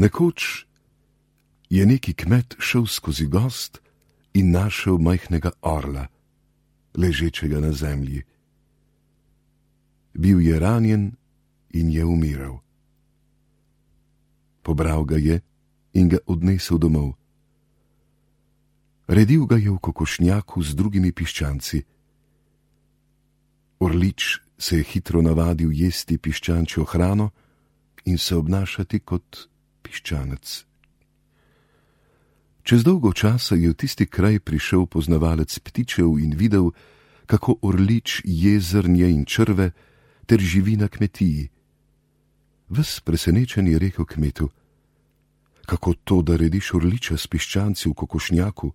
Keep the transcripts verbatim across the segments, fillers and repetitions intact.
Nekoč je neki kmet šel skozi gozd in našel majhnega orla, ležečega na zemlji. Bil je ranjen in je umiral. Pobral ga je in ga odnesel domov. Redil ga je v kokošnjaku z drugimi piščanci. Orlič se je hitro navadil jesti piščančjo hrano in se obnašati kot piščanec. Čez dolgo časa je v tisti kraj prišel poznavalec ptičev in videl, kako orlič je zrnje in črve ter živi na kmetiji. Ves presenečen je rekel kmetu: kako to, da rediš orliča s piščanci v kokošnjaku?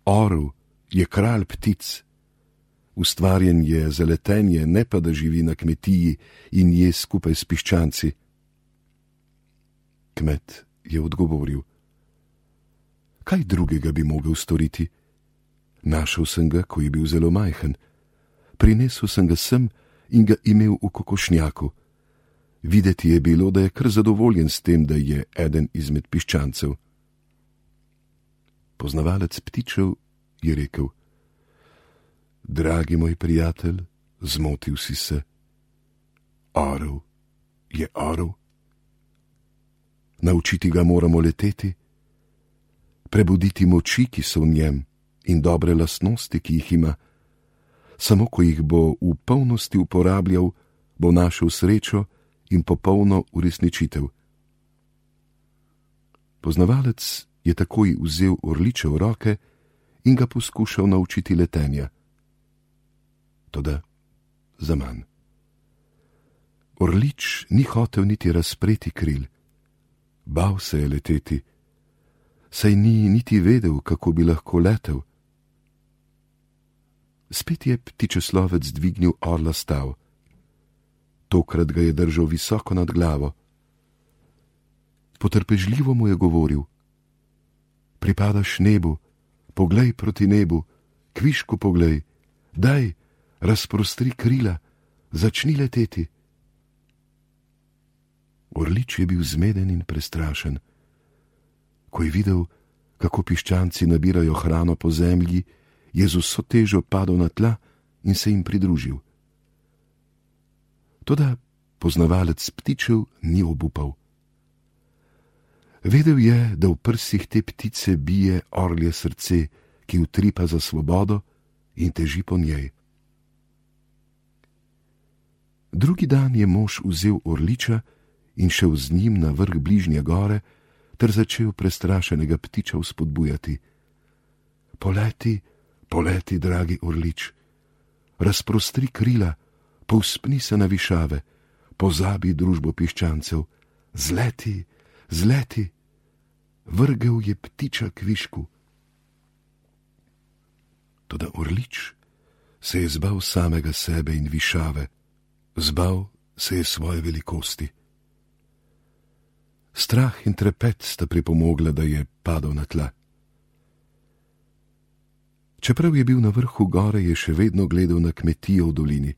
Orel je kralj ptic. Ustvarjen je za letenje, ne pa da živi na kmetiji in je skupaj s piščanci. Kmet je odgovoril: kaj drugega bi mogel storiti? Našel sem ga, ko je bil zelo majhen. Prinesel sem ga sem in ga imel v kokošnjaku. Videti je bilo, da je kar zadovoljen s tem, da je eden izmed piščancev. Poznavalec ptičev je rekel: dragi moj prijatelj, zmotil si se. Orel je orel. Naučiti ga moramo leteti, prebuditi moči, ki so v njem, in dobre lastnosti, ki jih ima. Samo ko jih bo v polnosti uporabljal, bo našel srečo in popolno uresničitev. Poznavalec je takoj vzel orliča v roke in ga poskušal naučiti letenja. Toda zaman. Orlič ni hotel niti razpreti kril. Bal se je leteti, saj ni niti vedel, kako bi lahko letel. Spet je ptičeslovec dvignil orla stav. Tokrat ga je držal visoko nad glavo. Potrpežljivo mu je govoril: pripadaš nebu, poglej proti nebu, kvišku poglej, daj, razprostri krila, začni leteti. Orlič je bil zmeden in prestrašen. Ko je videl, kako piščanci nabirajo hrano po zemlji, je z vso težo padel na tla in se jim pridružil. Toda poznavalec ptičev ni obupal. Vedel je, da v prsih te ptice bije orlje srce, ki utripa za svobodo in teži po njej. Drugi dan je mož vzel orliča in šel z njim na vrh bližnje gore ter začel prestrašenega ptiča vzpodbujati. Poleti, poleti, dragi orlič, razprostri krila, povzpni se na višave, pozabi družbo piščancev, zleti, zleti. Vrgel je ptiča kvišku. Toda orlič se je zbal samega sebe in višave, zbal se je svoje velikosti. Strah in trepet sta pripomogla, da je padel na tla. Čeprav je bil na vrhu gore, je še vedno gledal na kmetijo v dolini.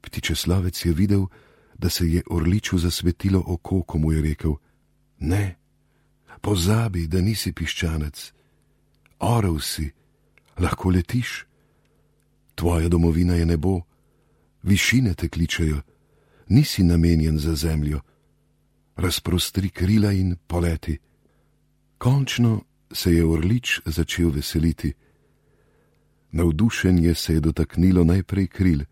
Ptičeslovec je videl, da se je orliču zasvetilo oko, ko mu je rekel: ne, pozabi, da nisi piščanec. Orel si, lahko letiš. Tvoja domovina je nebo, višine te kličejo, nisi namenjen za zemljo. Razprostri krila in poleti. Končno se je orlič začel veseliti. Navdušenje se je dotaknilo najprej kril.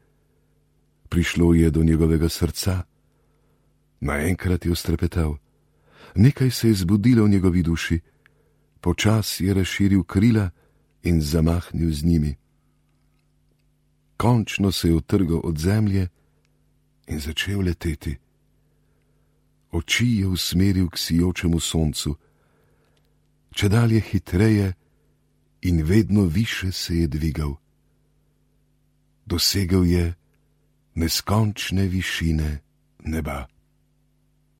Prišlo je do njegovega srca. Naenkrat je ostrepetal. Nekaj se je zbudilo v njegovi duši. Počas je razširil krila in zamahnil z njimi. Končno se je utrgal od zemlje in začel leteti. Oči je usmeril k sijočemu soncu. Čedalje hitreje in vedno više se je dvigal. Dosegel je neskončne višine neba.